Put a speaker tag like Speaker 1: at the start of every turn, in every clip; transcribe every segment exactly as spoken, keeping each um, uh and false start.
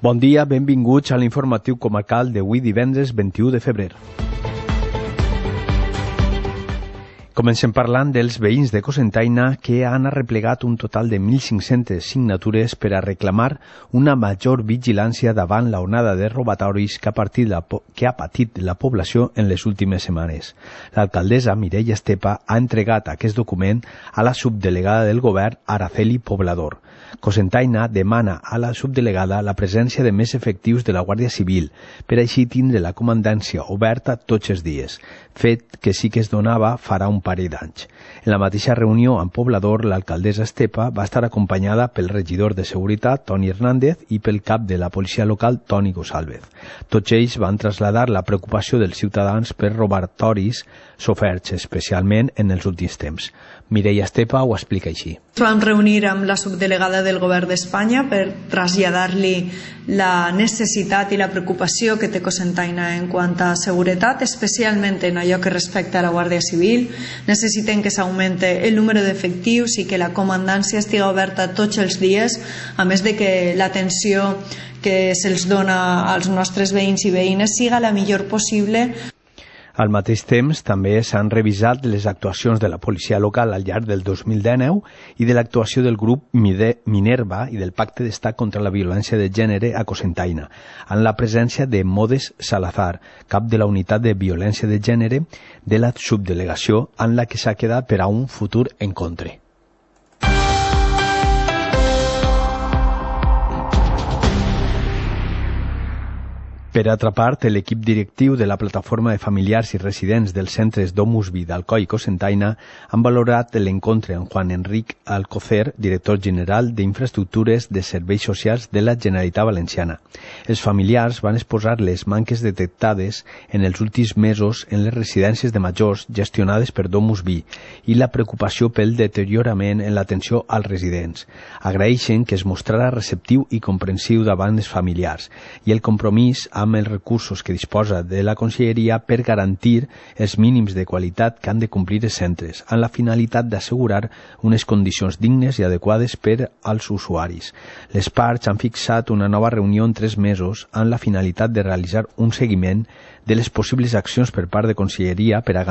Speaker 1: Bon dia, benvinguts a l'informatiu comarcal d'avui divendres vint-i-u de febrer. Comencem parlant dels veïns de Cocentaina que han arreplegat un total de mil cinc-centes signatures per a reclamar una major vigilància davant la onada de robatoris que ha, partit la po- que ha patit la població en les últimes setmanes. L'alcaldessa Mireia Estepa ha entregat aquest document a la subdelegada del govern Araceli Poblador. Cocentaina demana a la subdelegada la presència de més efectius de la Guàrdia Civil per així tindre la comandància oberta tots els dies, fet que sí que es donava farà un parell d'anys. En la mateixa reunió amb Poblador, l'alcaldessa Estepa va estar acompanyada pel regidor de Seguretat, Toni Hernández, i pel cap de la policia local, Toni Gonçalves. Tots ells van traslladar la preocupació dels ciutadans per robatoris soferts, especialment en els últims temps. Mireia Estepa ho explica així.
Speaker 2: Ens vam reunir amb la subdelegada del Govern d'Espanya per traslladar-li la necessitat i la preocupació que té Cocentaina en quant a seguretat, especialment en allò que respecta a la Guàrdia Civil. Necessitem que s'augmente el número d'efectius i que la comandància estigui oberta tots els dies, a més de que l'atenció que se'ls dona als nostres veïns i veïnes siga la millor possible.
Speaker 1: Al mateix temps, també s'han revisat les actuacions de la policia local al llarg del dos mil dinou i de l'actuació del grup Minerva i del Pacte d'Estat contra la Violència de Gènere a Cocentaina, amb la presència de Modes Salazar, cap de la Unitat de Violència de Gènere de la subdelegació, en la que s'ha quedat per a un futur encontre. Per altra part, l'equip directiu de la Plataforma de Familiars i Residents dels centres Domusvi d'Alcoi i Cocentaina han valorat l'encontre amb Juan Enric Alcocer, director general d'Infraestructures de Serveis Socials de la Generalitat Valenciana. Els familiars van exposar les manques detectades en els últims mesos en les residències de majors gestionades per Domusvi i la preocupació pel deteriorament en l'atenció als residents. Agraeixen que es mostrarà receptiu i comprensiu davant els familiars i el compromís amb amb els recursos que disposa de la Conselleria per garantir els mínims de qualitat que han de complir els centres, amb la finalitat d'assegurar unes condicions dignes i adequades per als usuaris. Les parts han fixat una nova reunió en tres mesos amb la finalitat de realitzar un seguiment de les possibles accions per part de Conselleria per a,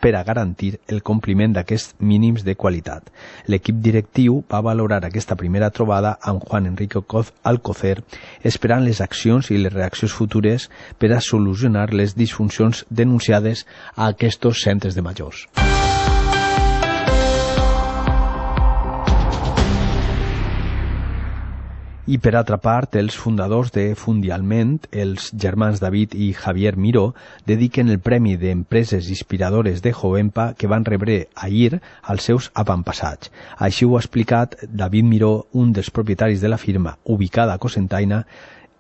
Speaker 1: per a garantir el compliment d'aquests mínims de qualitat. L'equip directiu va valorar aquesta primera trobada amb Juan Enrique Alcocer, esperant les accions i les reaccions futures per a solucionar les disfuncions denunciades a aquests centres de majors. I per altra part, els fundadors de Fundialment, els germans David i Javier Miró, dediquen el Premi d'Empreses Inspiradores de Jovempa que van rebre ahir als seus avantpassats. Així ho ha explicat David Miró, un dels propietaris de la firma, ubicada a Cocentaina,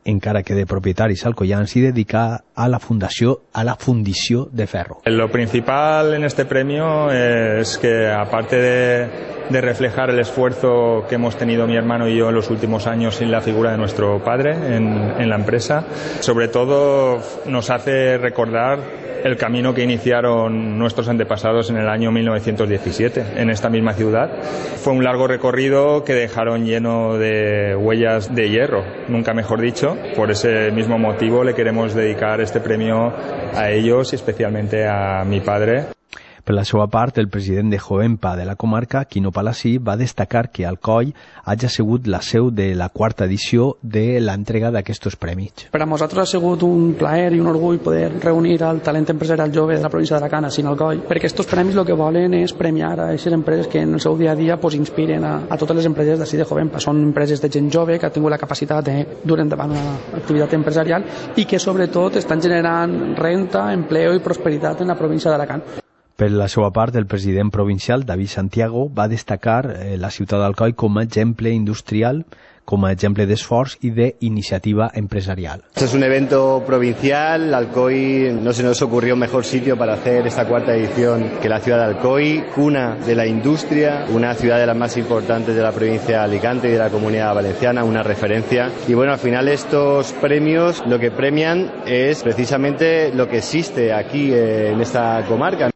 Speaker 1: encara que de propietaris alcoyans, y dedica a la fundació, a la fundició de ferro.
Speaker 3: Lo principal en este premio es que, aparte de, de reflejar el esfuerzo que hemos tenido mi hermano y yo en los últimos años sin la figura de nuestro padre en, en la empresa, sobre todo nos hace recordar el camino que iniciaron nuestros antepasados en el año mil novecientos diecisiete en esta misma ciudad. Fue un largo recorrido que dejaron lleno de huellas de hierro, nunca mejor dicho. Por ese mismo motivo le queremos dedicar este premio a ellos y especialmente a mi padre.
Speaker 1: Per la seva part, el president de Jovempa de la comarca, Quino Palací, va destacar que Alcoi hagi sigut la seu de la quarta edició de l'entrega d'aquests premis.
Speaker 4: Per a nosaltres ha sigut un plaer i un orgull poder reunir el talent empresarial jove de la província d'Alacant, a Alcoi, perquè aquests premis el que volen és premiar a aquestes empreses que en el seu dia a dia pues, inspiren a, a totes les empreses d'ací de Jovempa. Són empreses de gent jove que ha tingut la capacitat de dur endavant una activitat empresarial i que sobretot estan generant renta, empleo i prosperitat en la província d'Alacant.
Speaker 1: Per la seva part, el president provincial, David Santiago, va destacar eh, la ciutat d'Alcoi com a exemple industrial, como ejemplo de esfuerzo y de iniciativa empresarial.
Speaker 5: Este es un evento provincial. Alcoy, no se nos ocurrió mejor sitio para hacer esta cuarta edición que la ciudad de Alcoy, cuna de la industria, una ciudad de las más importantes de la provincia de Alicante y de la Comunidad Valenciana, una referencia. Y bueno, al final estos premios lo que premian es precisamente lo que existe aquí en esta comarca.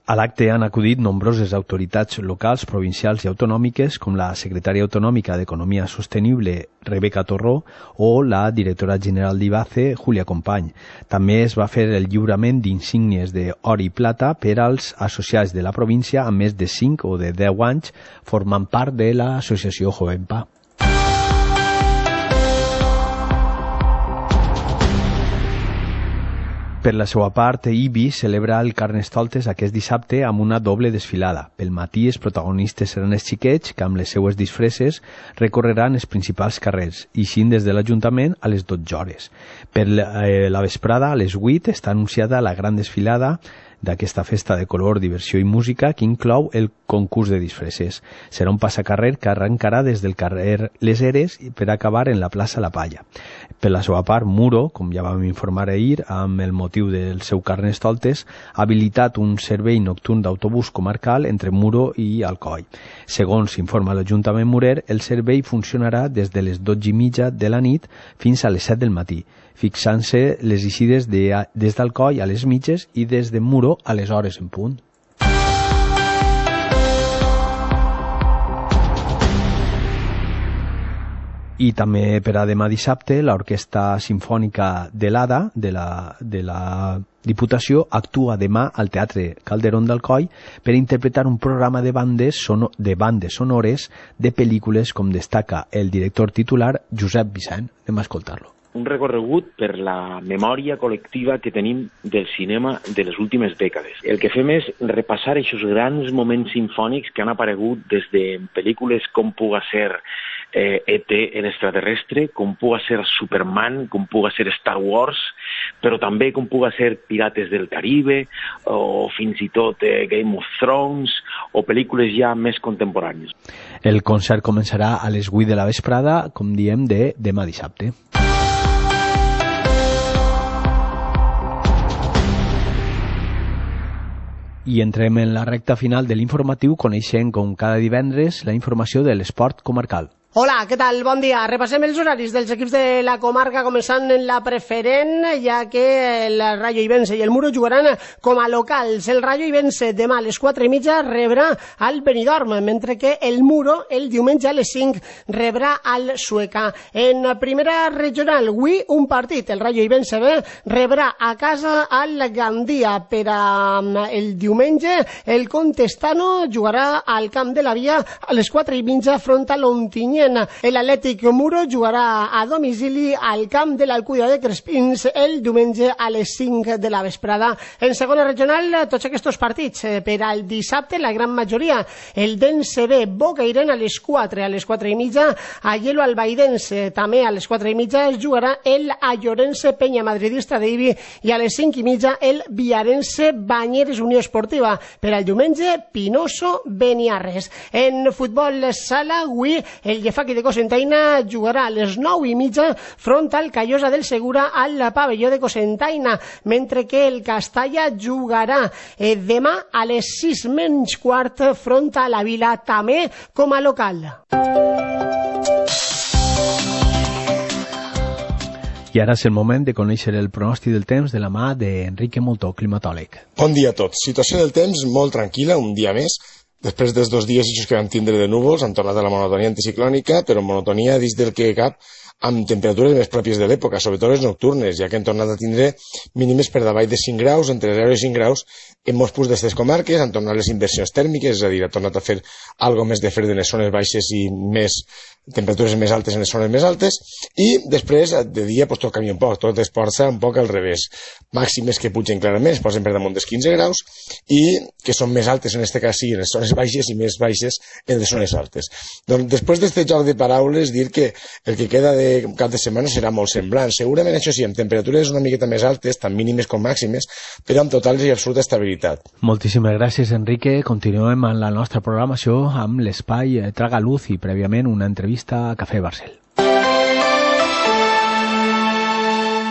Speaker 1: A l'acte han acudit nombroses autoritats locals, provincials i autonòmiques, com la secretària autonòmica d'Economia Sostenible, Rebeca Torró, o la directora general d'Ibace, Júlia Company. També es va fer el lliurament d'insígnies d'or i plata per als associats de la província amb més de cinc o de deu anys formant part de l'associació Jovenpa. Per la seva part, Ibi celebra el Carnestoltes aquest dissabte amb una doble desfilada. Pel matí, els protagonistes seran els xiquets que amb les seues disfresses recorreran els principals carrers, ixint des de l'Ajuntament a les dotze hores. Per la vesprada, a les vuit, està anunciada la gran desfilada d'aquesta festa de color, diversió i música que inclou el concurs de disfresses. Serà un passacarrer que arrencarà des del carrer Les Eres per acabar en la plaça La Palla. Per la seva part, Muro, com ja vam informar ahir, amb el motiu del seu Carnestoltes, ha habilitat un servei nocturn d'autobús comarcal entre Muro i Alcoi. Segons informa l'Ajuntament Murer, el servei funcionarà des de les dotze i mitja de la nit fins a les set del matí, fixant-se les eixides de, des d'Alcoi a les mitges i des de Muro a les hores en punt. I també per a demà dissabte, l'Orquestra Simfònica de l'Ada, de la, de la Diputació, actua demà al Teatre Calderón d'Alcoi per interpretar un programa de bandes, sono, de bandes sonores de pel·lícules, com destaca el director titular Josep Vicent. Anem a escoltar-lo.
Speaker 6: Un recorregut per la memòria col·lectiva que tenim del cinema de les últimes dècades. El que fem és repassar aquests grans moments sinfònics que han aparegut des de pel·lícules com puga ser eh, E T, el extraterrestre, com puga ser Superman, com puga ser Star Wars, però també com puga ser Pirates del Caribe, o fins i tot eh, Game of Thrones, o pel·lícules ja més contemporànies.
Speaker 1: El concert començarà a les vuit de la vesprada, com diem, de demà dissabte. I entrem en la recta final de l'informatiu, coneixent com cada divendres la informació de l'esport comarcal.
Speaker 7: Hola, què tal? Bon dia. Repassem els horaris dels equips de la comarca, començant en la preferent, ja que el Rayo Ibense i el Muro jugaran com a locals. El Rayo Ibense demà a les quatre i mitja rebrà al Benidorm, mentre que el Muro el diumenge a les cinc rebrà al Sueca. En primera regional, avui un partit. El Rayo Ibense B rebrà a casa al Gandia. Per a el diumenge, el Contestano jugarà al Camp de la Via a les quatre i mitja front a l'Ontinyent. L'Atlètic Muro jugarà a domicili al camp de l'Alcúdia de Crespins el diumenge a les cinc de la vesprada. En segona regional, tots aquests partits per al dissabte, la gran majoria. El Dense B, Bocairent a les quatre, a les quatre i mitja, a Hielo Albaidense, també a les quatre i mitja es jugarà el Allorense Penya Madridista d'Ibi i a les cinc i mitja el Viarense Banyeres Unió Esportiva. Per al diumenge, Pinoso Beniarres. En futbol sala, avui el Llefaqui de Cocentaina jugarà a les nou i mitja front al Callosa del Segura al pavelló de Cocentaina, mentre que el Castalla jugarà eh, demà a les sis menys quart front a la Vila, també com a local.
Speaker 1: I ara és el moment de conèixer el pronòstic del temps de la mà d'Enrique Moltó, climatòleg.
Speaker 8: Bon dia a tots. Situació del temps molt tranquil·la, un dia més. Després dels dos dies que vam tindre de núvols, han tornat a la monotonia anticiclònica, però monotonia dins del que cap amb temperatures més pròpies de l'època, sobretot les nocturnes, ja que han tornat a tindre mínimes per davall de cinc graus, entre zero i cinc graus, en molts punts d'aquestes comarques, han tornat les inversions tèrmiques, és a dir, ha tornat a fer algo més de fred en les zones baixes i més temperatures més altes en les zones més altes, i després de dia pues, tot canvia un poc, tot es porta un poc al revés. Màximes que pugen clarament, es posen per damunt dels quinze graus i que són més altes en aquest cas sí en les zones baixes i més baixes en les zones altes. Doncs després d'aquest joc de paraules dir que el que queda de cap de setmana serà molt semblant. Segurament això sí, amb temperatures una miqueta més altes, tant mínimes com màximes, però amb total i absoluta estabilitat.
Speaker 1: Moltíssimes gràcies, Enrique. Continuem amb la nostra programació amb l'espai Traga Luz i prèviament una entrevista a Cafè Barcel.